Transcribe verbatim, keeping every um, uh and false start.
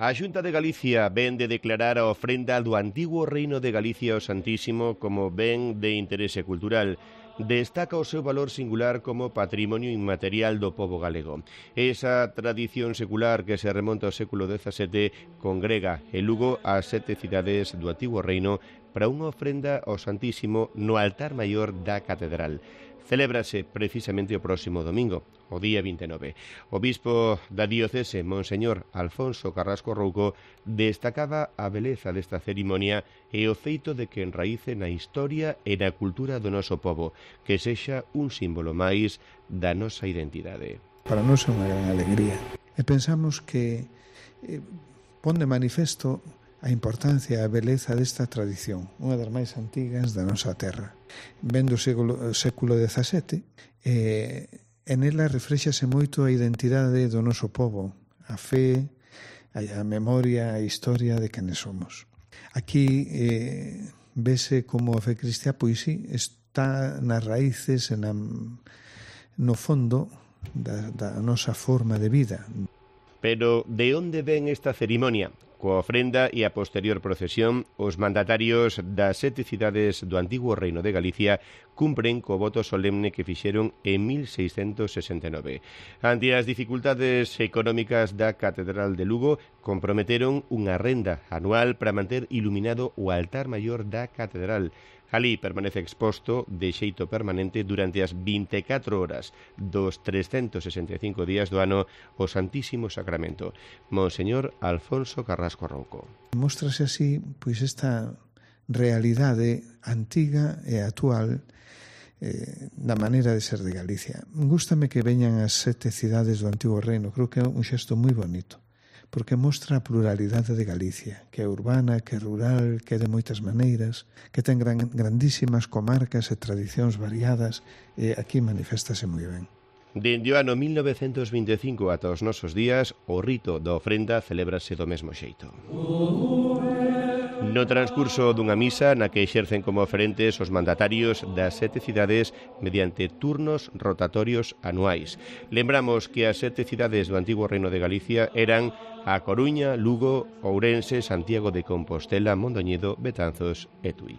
A Xunta de Galicia ven de declarar a ofrenda do antigo Reino de Galicia ao Santísimo como ben de interese cultural. Destaca o seu valor singular como patrimonio inmaterial do pobo galego. Esa tradición secular que se remonta ao século dezasete congrega en Lugo as sete cidades do antigo reino para unha ofrenda ao Santísimo no altar maior da catedral. Celébrase precisamente o próximo domingo, o día vinte e nove. O bispo da diocese, Monseñor Alfonso Carrasco Rouco, destacaba a beleza desta cerimonia e o feito de que enraíce na historia e na cultura do noso pobo, que sexa un símbolo máis da nosa identidade. Para nós é unha gran alegría. E pensamos que eh, pon de manifesto a importancia e a beleza desta tradición, unha das máis antigas da nosa terra. Vendo o século, século dezasete, eh, en ela reflexase moito a identidade do noso pobo, a fe, a, a memoria, a historia de quenes somos. Aquí eh, vese como a fe cristiá, pois sí, está nas raíces, na, no fondo da, da nosa forma de vida. Pero de onde ven esta cerimonia? Coa ofrenda e a posterior procesión, os mandatarios das sete cidades do antigo Reino de Galicia cumpren co voto solemne que fixeron en mil seiscentos sesenta e nove. Ante as dificultades económicas da Catedral de Lugo, comprometeron unha renda anual para manter iluminado o altar maior da Catedral. Alí permanece exposto de xeito permanente durante as vinte e catro horas dos trescentos sesenta e cinco días do ano o Santísimo Sacramento. Monseñor Alfonso Carrasco Rouco. Móstrase así pois esta realidade antiga e actual eh, da maneira de ser de Galicia. Gústame que veñan as sete cidades do antigo reino, creo que é un xesto moi bonito, porque mostra a pluralidade de Galicia, que é urbana, que é rural, que é de moitas maneiras, que ten gran, grandísimas comarcas e tradicións variadas, e aquí maniféstase moi ben. Dende o ano mil novecentos vinte e cinco ata os nosos días, o rito da ofrenda celébrase do mesmo xeito. No transcurso dunha misa na que exercen como oferentes os mandatarios das sete cidades mediante turnos rotatorios anuais. Lembramos que as sete cidades do antigo Reino de Galicia eran A Coruña, Lugo, Ourense, Santiago de Compostela, Mondoñedo, Betanzos e Tui.